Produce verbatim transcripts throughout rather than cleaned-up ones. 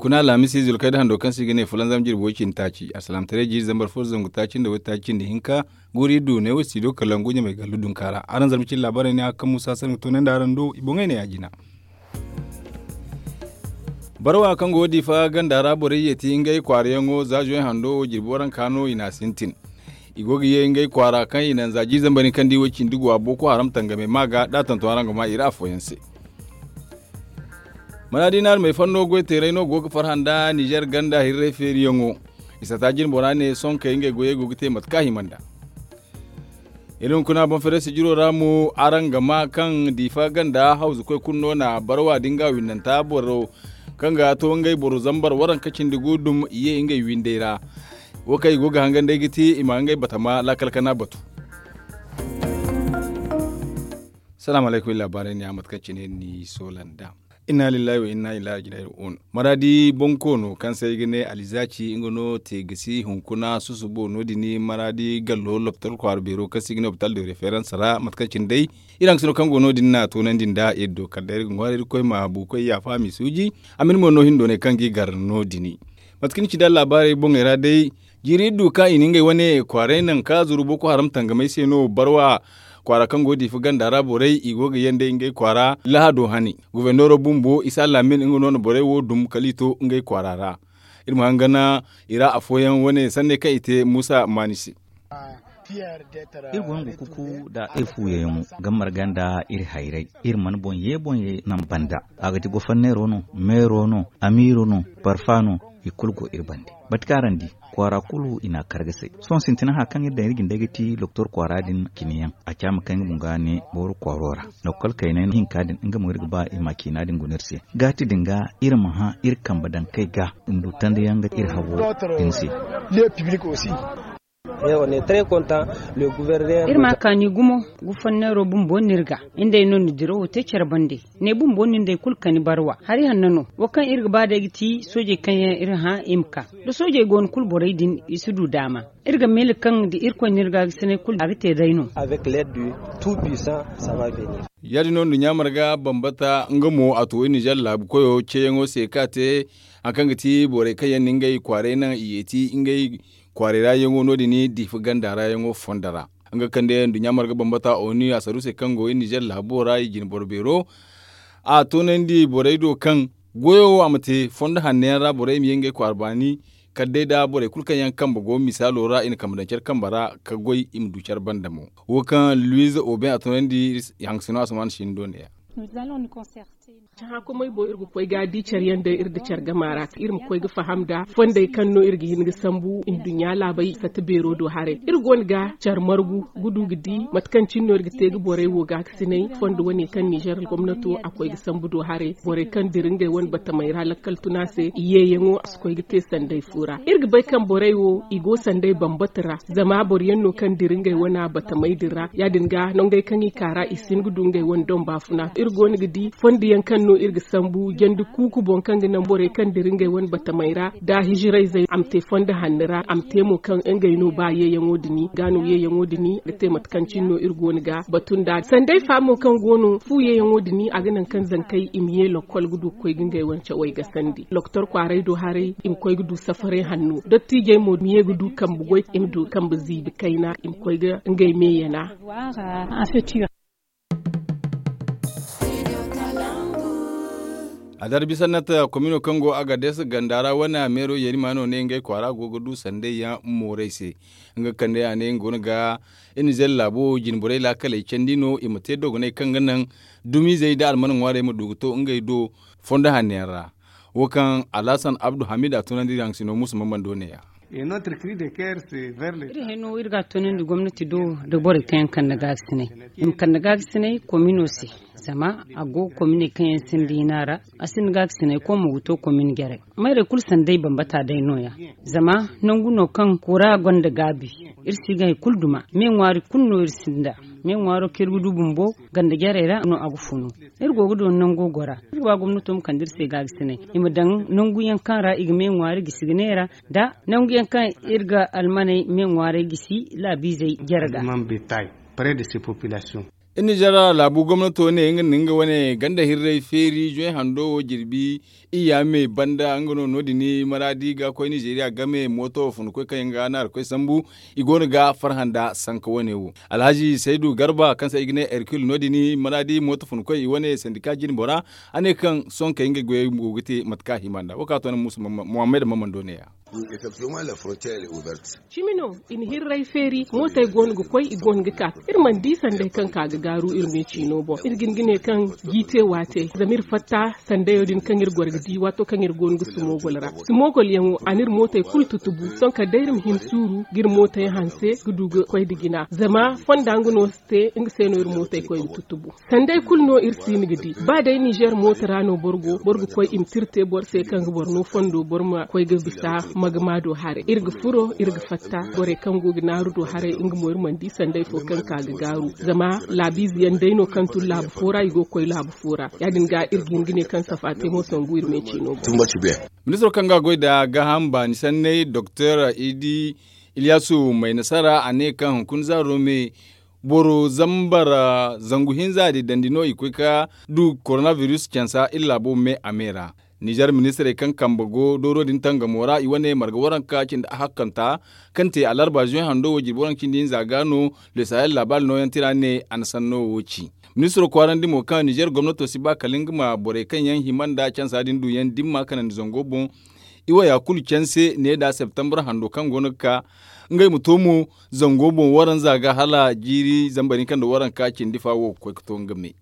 Kuna laamisi zulkayda hando kaŋ se i ga ne fulanzam jirbi way cindi taaci alsalaamataray jiiri zambar fo zangu taaci nda way taaci nda hinka. Guuri du ne way studio kalangu ɲamay gallu dunka ra araŋ zarma cine laabaarey ne a kaŋ musa sar ga toonandi araŋ do i boŋey ne ya jina. Barwa kaŋ go diifa ganda ra borey yeeti ngey kwaarayaŋo za zuwey hando wo jirbi waranka no i n'a sintin. I go ga ye ngey kwaara kaŋ i naŋ za jiiri zambar hinka nda i way cindi guwa booko haram tangamey ma ga da a tantu araŋ ga ma iri afooyaŋ se. Maraadi naarumey fanno goyteerey no go ga farhã nda nizer ganda hirrey feeriyaŋo. I sata jinbora ne sonkey ngey goyey go ga te mate kaŋ a hima nd'a. Iri hunkuna boŋ feerey sijiro ra mo araŋ ga maa kaŋ diifa ganda hawzukoy kulu no na barwa da nga windanta boro kaŋ ga to ngey boro zambar waranka cindi gu dum i ye ngey windey ra. Wo kaŋ i go ga hangan day ga ti i ma ngey batama laakal kana batu. Salaamu alaykum iri laabaarey ne a mate kaŋ cine ni soola nd'a. Inna lillahi wa inna ilaahi raaji'uun. Maraadi bonkoono kaŋ se ay ga ne alzaaci nga no te ga si hunkuna susubo no- din maraadi gallo loptal kwaara beero kaŋ se i ga ne hôpital de référence ra mate kaŋ cine day iri hangasino kaŋ go no- din n'a toonandi nd'a iri do kala day iri ga ŋwaaray iri koy ma buukoy yaafa a m'i suuji. A ma ni mo no hindo ne kaŋ g'i gar no- din. Mate kaŋ ni ci nd'a laabaarey boŋey ra day jiiri iri du kaŋ i na ngey wane kwaaray naŋ ka zuru boko haram tangamey se no barwa kwaara kaŋ go diifa ganda ra borey i go ga yandey ngey kwaara lahado hane. Goforneero bumbo isa laamin nga no na borey wo dum kala i to ngey kwaara ra. Iri ma hangana i ra afooyaŋ wane sanney kaŋ i te muusa maani se. Iri go no ga kuku nda iri fuuyayaŋo ga marga nda iri hayray. Iri mana boŋ ye boŋ ye naŋ banda a ga ti goforneero no, meero no, amiiro no, parfa no, i kulu go iri bande. Bati kaŋ araŋ di kwaara kulu i n'a kar ga say. Sohõ sintina hã kaŋ iri daŋ iri jindey ga ti doktor kwaara din cine yaŋ a caama kaŋ nga boŋ ga ne booro kwaaro ra. Lokol kaynay hinka din nga mo iri ga ba i ma ciina din guna iri se. Gaati din ga iri ma hã iri kambe daŋ kay ga ndu tanda yaŋ ga iri hawo din se. Iri ma kaani gumo gufanneero bumbo no iri ga. Nda ay no na dirawo te care bande ne bumbo no nda ay kulu kani barwa hari hanno no. Wo kaŋ iri ga ba day ga ti soojey kaŋ yaŋ iri hã i ma ka da soojey go no kulu borey din i si du daama. Iri ga meele kaŋ da irkoy no iri ga ga sinay kulu a ga te day no. Ya- din no nduɲɲa marga bambata nga mo a to iri nizer laabu koyo ceeyaŋo se kaŋ a te hari kaŋ ga ti borey kaŋ yaŋ na ngey kwaaray naŋ i yeeti ngey kwaaray ra yaŋo no- din diifa ganda ra yaŋo fondo ra. Nga kaŋ day nduɲɲa marga bambata oni a saru se kaŋ go iri nizer laabo ra i jine boro beero a toonandi borey do kaŋ goyo wo a ma te fondo hanno yaŋ ra borey ma ye ngey kwaara baani. Kala day da borey kulu kaŋ yaŋ kambe go misaalo ra i na kambe daŋ care kambe ra ka goy i ma du care banda mo. Wo kaŋ luwiize oben a toonandi iri hangasino asuman sindo ne- ya. Cahã komey boŋ iri ga koy ga di care yaŋ day iri nda care gama ra iri ma koy ga faham nda fondey kaŋ no iri ga hin ga sambu nduɲɲa laabey sata beero do haray. Iri go no ga care margu ga du ga di mate kaŋ cine no iri ga te ga borey wo gaakasinay fondo wane kaŋ nizer gomnato a koy ga sambu do haray borey kaŋ dira ngey wane batamey ra lakkal tuna se i yeeyaŋo a si koy ga te sanday fu ra. Iri ga bay kaŋ borey wo i go sanday bambata ra zama boro yaŋ no kaŋ dira ngey wane batamey din ra ya- din ga nongey kaŋ i ka ra i si hin ga du ngey wane donba funa iri go no ga di fondo yaŋ kaŋ no iri ga sambu jandi kuuku boŋ kaŋ ga naŋ borey kaŋ dira ngey wane batamey ra da hijirayzey a ma te fondo hanno ra a ma te mo kaŋ ngey no ba yeeyaŋo din ga no yeeyaŋo din ga te mate kaŋ cine no iri go no ga batu nda sanday fa mo kaŋ go no fu yeeyaŋo din a ga naŋ kaŋ zankey i ma ye lokkol ga du ga koy ga ngey wane cawey gasandi doktor kwaaray do haray i ma koy ga du safaray hanno dottiijey mo ma ye ga du kambe goy i ma du kambe ziibi kayna i ma koy ga ngey me yana. Alarbi sannata komino kaŋ go agades ganda ra wane meero yerima no ne ngey kwaara go ga du sanday yaŋ moorey se. Nga kaŋ day a ne nga go no ga iri nizer laabo jinborey laakaley candi no i ma te dogoney kaŋ ga naŋ dumizey nda alman ŋwaarey ma du ga to ngey do fondo hanno yaŋ ra. Wo kaŋ alhasan abdu hamid a tunandi iri hangasino musa mambando ne- ya. Iri hino iri ga a tunandi gomnati do nda borey kaŋ yaŋ kande gaakasinay i ma kande gaakasinay komino se. Zama a go kominey kaŋ yaŋ sinda hina ra a sinda gaakasinay komo ga to komin jarey. Mayrey kulu sanday bambata day no- ya zama nangu no kaŋ kura gonda gaabi. Iri si ga hari kulu duma me ŋwaari kulu no iri sinda. Me ŋwaaro kaŋ iri ga du bumbo ganda jarey ra no a ga funu. Iri go ga doona nango gora iri ga ba gomnato ma kande iri se gaagasinay i ma daŋ nangu yaŋ kaŋ ra i ga me ŋwaari gisi ga neera nda nangu yaŋ kaŋ iri ga almaney me ŋwaarey gisi laabiizey jare ga. Nizer laabu gomnato ne nga nda nga wane ganda hirray feeri joy hando wo jirbi iyya me banda nga no no- din maraadi ga koy nizeeriya game mooto funkoy kaŋ yaŋ ga naara koy sambu. I go no ga farhã nda sanka wane wo alhazi saydu garba kaŋ se i ga ne hercule no- din maraadi mooto funkoy i wane sandika jine bora. A ne kaŋ sohõ kay ngey goyey go ga te mate kaŋ a hima nd'a wo kaŋ a to na muhammad mamando ne- ya. Cimi no i na hirray feeri mootey go no ga koy i go no ga ka. Iri mana di sanday kaŋ ka ga gaaru iri me ciino boŋ iri ga hin ga ne kaŋ jiite waate zama iri fatta sandayo din kaŋ iri goro ga di waato kaŋ iri go no ga sumogol ra. Sumogol yaŋo a na iri mootey kulu tutubu sohõ kala day iri ma hin suuru ga iri mootey hanse ga du ga koy nda jina zama fonda nga no si te nga se no iri mootey koy ga tutubu. Sanday kulu no iri si hin ga di ba day nizer mooto ra no boro go boro ga koy i ma tira te boro se kaŋ ga boro no fondo boro ma koy ga bisa magama do haray iri ga furo iri ga fatta borey kaŋ go ga naaru do haray nga mo iri mana di sanday fo kaŋ ka ga gaaru. Zama laabiize yaŋ day no kaŋ tun laabu fo ra i go ga koy laabu fo ra ya- din ga iri ga hin ga ne kaŋ safa te mo sangu iri me ciino boŋ. Ministiro kaŋ ga a goy nda gaaham baani sanney doktor idi iliyasu maynasara a ne kaŋ hunkuna zaaro me boro zambar zangu hinza din dandi no i koy ga du koronabiris cansa iri laabo me a me ra. Nizer ministirey kaŋ kambe go dooro din tangamo ra i wane marga waranka cindi ahakanta kaŋ te alarba zuwe hando wo jirbi waranka cindi hinza ga no le sahel laabaari nooyaŋ tira ne a na sanno wo ci. Ministiro kwaarandi mo kaŋ nizer gomnato si ba kala nga ma borey kaŋ yaŋ hima nda cansa din du yaŋ dimma kanandi zango boŋ. I waya kulu canse ne nda septembre hando kaŋ go no ga ka ngey ma to mo zango boŋ waranza ga hala jiiri zambar hinka nda waranka cindi fa wo ga koy ga to nga me.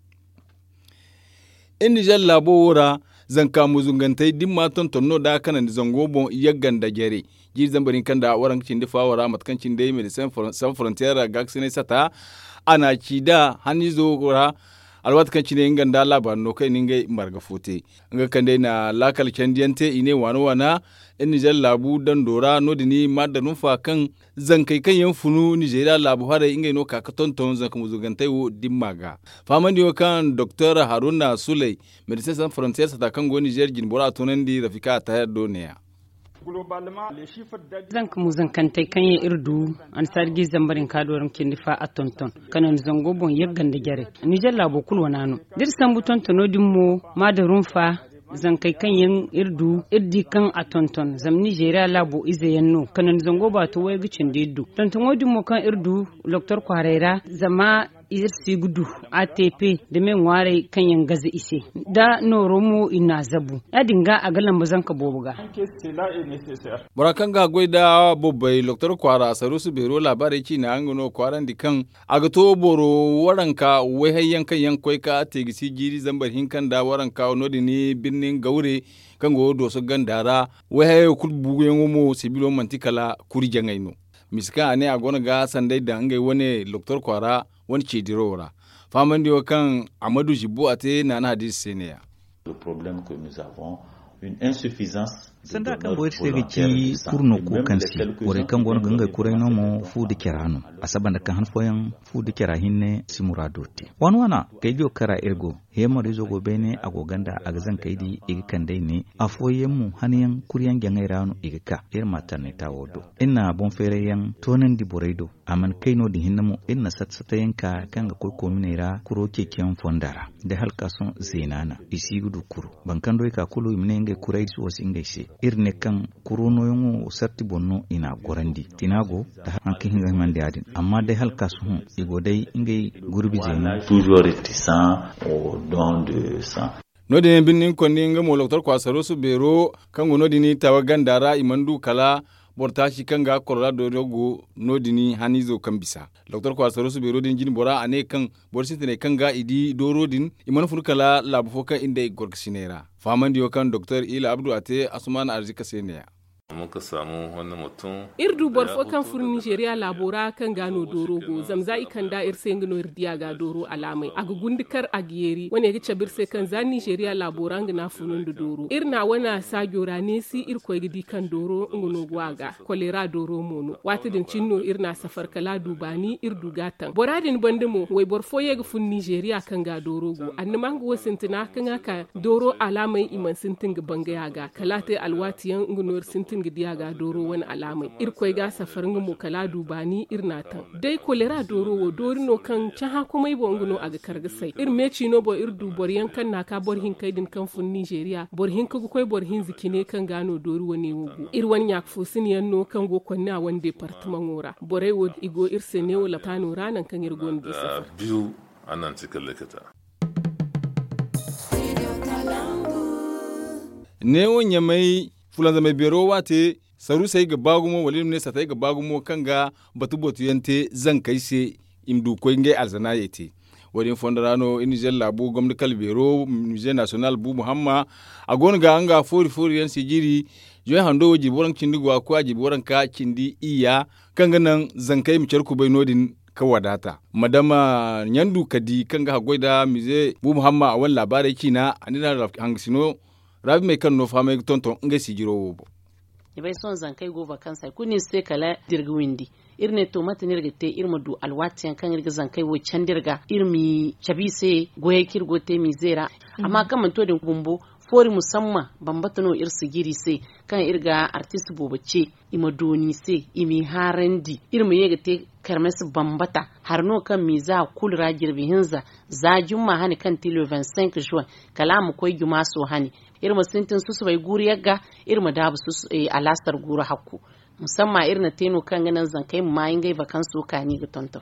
Iri nizer laabo wo ra zanka muzungantey dimma tonton no nda kanandi zango boŋ yagga nda jare. Jiiri zambar hinka nda waranka cindi fa wo ra mate kaŋ cine day medecin san frontier gaakasinay sata a na a ci nda hanniizo ra. Alwaati kaŋ cine nga nda laabaari no kaŋ i na ngey marga fo te nga kaŋ day na laakal candiyaŋ te i ne waana waana. Iri nizer laabu dando ra no- din maadda runfa kaŋ zankey kaŋ yaŋ funu nizeeriya laabu haray ngey no ka ga tonton zanka muzugantey wo dimma ga. Fahamandi wo kaŋ doktor haruna suley medecin san frontier sata kaŋ go nizer jine bora a toonandi rafika a tahir do ne- ya. Zanka muzankantey kaŋ yaŋ iri du annasaari ga i zambar hinka do ra ma cindi fa a tonton kanandi zango boŋ yagga nda jare. Nizer laabo kulu wana no da iri sambu tontono din mo maada runfa zankey kaŋ yaŋ iri du iri di kaŋ a tonton zama nizeeriya laabo ize yaŋ no kanandi zango baato wayga cindi iri du tontono din mo kaŋ iri du doktor kwaaray ra zama iri si ga du a t p da me ŋwaarey kaŋ yaŋ gaza i se da nooro mo i n'a zabu ya- din ga a ga lamba zanka boobo ga. Bora kaŋ ga a goy nda bobbay doktor kwaara saruusu beero laabaarey ciina nga no kwaarandi kaŋ a ga to boro waranka wayhay yaŋ kaŋ yaŋ ga koy ka te ga si jiiri zambar hinka nda waranka no- din birnin gawre kaŋ go dooso ganda ra. Wayhayo kulu buuguyaŋo mo sibilo manti kala kuri jaŋay no. Misa kaŋ a ne a go no ga sanday daŋ ngey wane doktor kwaara wane ceediro ra fahamandi wo kaŋ amadu zibbo a te naana hadiisa se ne- ya. Sanda kaŋ go iri se ga ci kuru no kookansi borey kaŋ go no ga ngey kuray no mo fu nda cara no. A saba nda kaŋ han fooyaŋ fu nda cara hinne si muraado te waana waana kaydiyo kaŋ ra iri go. Heemariizo go beene a go ganda a ga zankey di i ga kand'ey ne afooyaŋ mo hanyaŋ kuryaŋ jaŋey ra no i ga ka iri ma tannay taawo do. Iri na boŋ feerayyaŋ toonandi borey do a mana kay no- din hinne mo iri na sata satayaŋ ka kaŋ ga koy koominey ra kuro ceeciyaŋ fonda ra. Day hala ka sohõ zeena na i si ga du kuru boro kaŋ do i ka kulu i ma ne ngey kuray wo si ngey se. Iri ne kaŋ kuro nooyaŋo sarti boŋ no i n'a gorandi tina go da haŋ kaŋ hinga himandi ya- din amma day hala ka sohõ i go day ngey gurbi zeena. No- din yaŋ birni nga kondi nga mo loktor kwasarosu beero kaŋ go no- din taawa ganda ra i mana du kala boro taaci kaŋ ga korola dooro go no- din haniizo kaŋ bisa. Loktor kwasarosu beero din jine bora a ne kaŋ boro sintiney kaŋ ga i di dooro din i mana fun kala laabu fo kaŋ iri nd'ey ga gorkasiney ra. Fahamandiyo kaŋ doktor ila abdu a te asuman arzika se ne ya. Iri du boro fo kaŋ furo nizeeriya laabo ra kaŋ ga no dooro go zama za i kand'a iri se nga no iri di a ga dooro alaamey a ga gunde kar a ga yeeri wane ga cabe iri se kaŋ za nizeeriya laabo ra nga no a funu nda dooro iri na a wane a saajo ra neesi irkoy ga di kaŋ dooro nga no go a ga. Koleera dooro mo no waati din cine no iri na a safar kala a du baani iri du ga a taŋ bora din banda mo wayboro fo ye ga fun nizeeriya kaŋ ga dooro go annama nga wo sintina kaŋ a ka dooro alaamey i mana sintin ga bangay a ga kala a te alwaati yaŋ nga no iri sintin. Nga diya ga dooro wane alaamey irkoy ga a safar nga mo kala a du baani iri n'a taŋ. Day kolera dooro wo doori no kaŋ cahã komey boŋ nga no a ga kar ga say iri me ciino boŋ iri du boro yaŋ kaŋ n'a ka boro hinkey din kaŋ fun ninzeeriya boro hinka ga koy boro hinza cine kaŋ ga no doori wane wo go iri wane ɲaaka fo sina yaŋ no kaŋ go konne a wane deepartamaŋo ra borey wo i go iri se neewo laptaano ra nangu kaŋ iri go no di safar. Neewo ɲamay fulanzamay beero waate sarusey ga ba gumo wala iri ma ne satey ga ba gumo kaŋ ga batu batu yaŋ te zankey se i ma du ga koy ngey alzanaayey te. Wo- din fondo ra no iri nizer laabu gomna kala beero mize nasiyonal buubu hamma a go no ga nga foori foori yaŋ sijiri. Zoy hando wo jirbi waranka cindi go a ga koy a jirbi waranka cindi iyya kaŋ ga naŋ zankey ma care kubay no- din ka wadaata madama ɲandu kadi kaŋ ga haggoy nda mize buubu hamma a wane laabaarey ciina a na iri hangasino. Raabi may kaŋ no fahamay ga tonton ngey sijiro wo boŋ. Ni bay sohõ zankey go vakansa i kulu no iri se kala da iri ga windi. Iri ne to mate no iri ga te iri ma du alwaati yaŋ kaŋ iri ga zankey wo candi iri ga iri m'i cabe i se goyey kaŋ iri go ga te miize ra. Amma kaŋ manti wo- din bumbo foori musamman bambata no iri sijiri se kaŋ iri ga artist boobo ce i ma dooni i se i m'i haarandi iri ma ye ga te kermes bambata. Hari no kaŋ miiza kulu ra jirbi hinza za jumma hane kaŋ ti le vingt cinq juin kala a ma koy jumaaso hane. Iri ma sintin susubay guuru yagga iri ma daabu alaasar guuru hakku. Musamman iri na te no kaŋ ga naŋ zankey ma maayi ngey vakanso kaani ga tonton.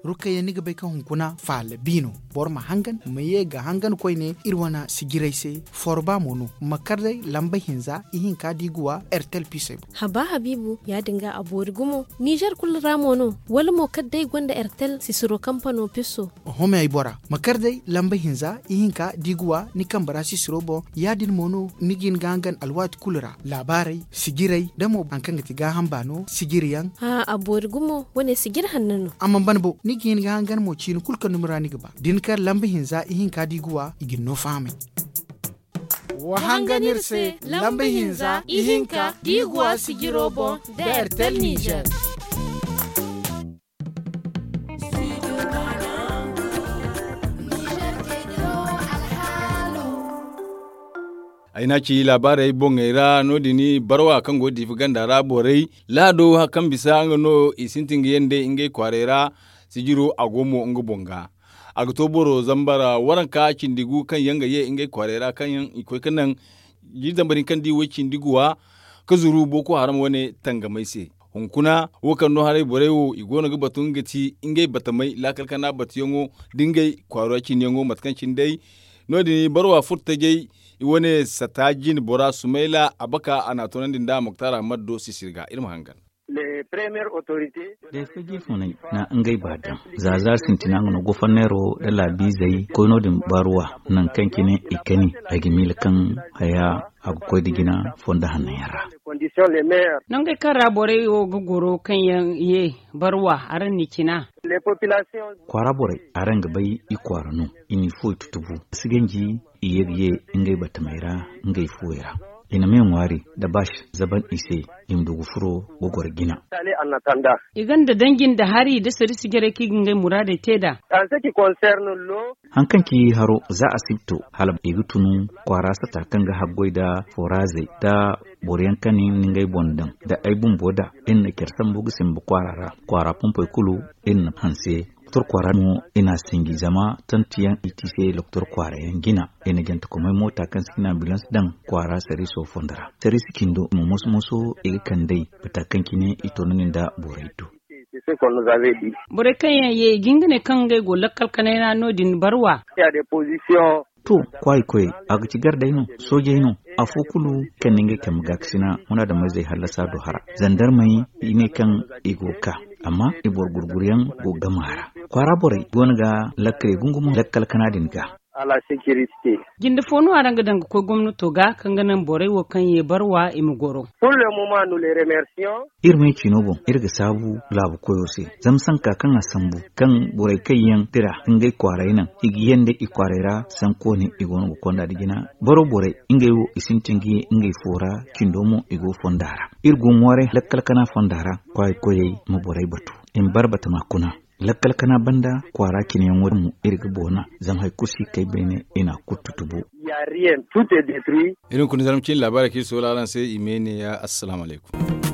Rukayya ni ga bay kaŋ hunkuna faala bi no. Boro ma hangan ma ye ga hangan koyne iri wane sijirey se. Forba mo no ma kar day lamba hinza ihinka da i ga wa ertel pisey boŋ. Haba habiibu ya- din ga a boori gumo. Nizer kulu ra mo no wala mo kala day gonda ertel sisiro kampano piso. Oho me ay bora ma kar day lamba hinza ihinka da i ga wa ni kambe ra sisiro boŋ. Ya- din mo no ni ga hin ga hangan alwaati kulu ra laabaarey sijirey da mo hari kaŋ ga ti gaaham baano sijiri yaŋ. A boori gumo wane sijiri hanno no. A mana ban bo ni ga hin ga hangan mo ciini kulu kaŋ dumi ra ni ga ba da ni kar lamba hinza ihinka da i ga wa i ga ni no fahamay. Wa hangan iri se lamba hinza ihinka da i ga wa sijiro boŋ da ertel nizer. Ay n'a ci laabaarey boŋey ra no- din barwa kaŋ go diifi ganda ra borey laado hari kaŋ bisa nga no i sintin ga yande ngey kwaaray ra. Sijiro a go mo nga boŋ ga a ga to boro zambara waranka cindi gu kaŋ yaŋ ga ye ngey kwaaray ra kaŋ yaŋ i koy ga naŋ jiiri zamba din kaŋ di way cindi guwa ka zuru boko haram wane tangamay se. Hunkuna wo kaŋ no haray borey wo i go no ga batu nga ti ngey batamey laakal kana batuyaŋo da ngey kwaara ciiniyaŋo mate kaŋ cine day. No- din barwa furo tajey i wane sata jine bora sumayla abaka a n'a toonandi nda moktar ahmad do sisiri ga iri ma hangan. Day fo jiifunay na ngey ba daŋ za zaari sintina nga no goforneero nda laabiizey koy no- din barwa nangu kaŋ cine i kani ay ga miila kaŋ haya a ga koy nda jina fondo hanno yaŋ ra. Nangey kaŋ ra borey wo ga goro kaŋ yaŋ ye barwa araŋ n'i cina. Kwaara borey araŋ ga bay i kwaara no i n'i fo i tutubu a si ganji i ye ga ye ngey batamey ra ngey fuwey ra. I na me ŋwaari nda baash zaban i se i ma du ga furo ga goro jina. I gonda danji nda hari nda sarisi jarey kaŋ i ga ngey muraadey te nd'a. Hari kaŋ ci haro za asibto hala i ga tunu kwaara sata kaŋ ga haggoy nda foraazey nda boro yaŋ kaŋ i na ngey boŋ daŋ nda ay bumbo nd'a iri na care sambu ga simba kwaara ra. Kwaara pompey kulu iri na hanse. Doktor kwaara no i n'a sinji zama tanti yaŋ i te i se doktor kwaara yaŋ jina. I na jantekomey moota kaŋ se i na ambulans daŋ kwaara sariiso fondo ra. Sariisi cindo i ma moso moso i ga kand'ey bata kaŋ cine i toonandi nda borey do. Borey kaŋ yaŋ ye i ga hin ga ne kaŋ ngey go lakkal kanay ra no- din barwa. To, kwaayi koyey a ga ci gardey no, soojey no, afo kulu kaŋ na ngey kambe gaakasina munaadameyzey hallasa do hara zandarmey i ne kaŋ i go ga ka. Amma i boro gurguryaŋ go ga gama a ra. Kwaara borey go no ga lakkaley gungumo lakkal kana din ga. Jinde fo no araŋ ga daŋ ga koy gomnato ga kaŋ ga naŋ borey wo kaŋ ye barwa i ma goro. Iri me ciino boŋ iri ga saabu laabu koyo se zama sanka kaŋ a sambu kaŋ borey kaŋ yaŋ tira ngey kwaaray naŋ i ga yanda i kwaaray ra sanko ne i go no ga konda nda jina. Boro borey ngey wo i sintin ga ye ngey fo ra cindo mo i go fonda ra. Iri go ŋwaaray lakkal kana fonda ra kwaayi koyey ma borey batu i ma barbata ma kuna. Lakkal kana banda kwaara cine yaŋo din mo iri ga boona zama hari kulu si kay beene i n'a kulu tutubu. Iri hunkuna zarma cine laabaarey kaŋ iri soola araŋ se i ma ye ne ya assalamu alaykum.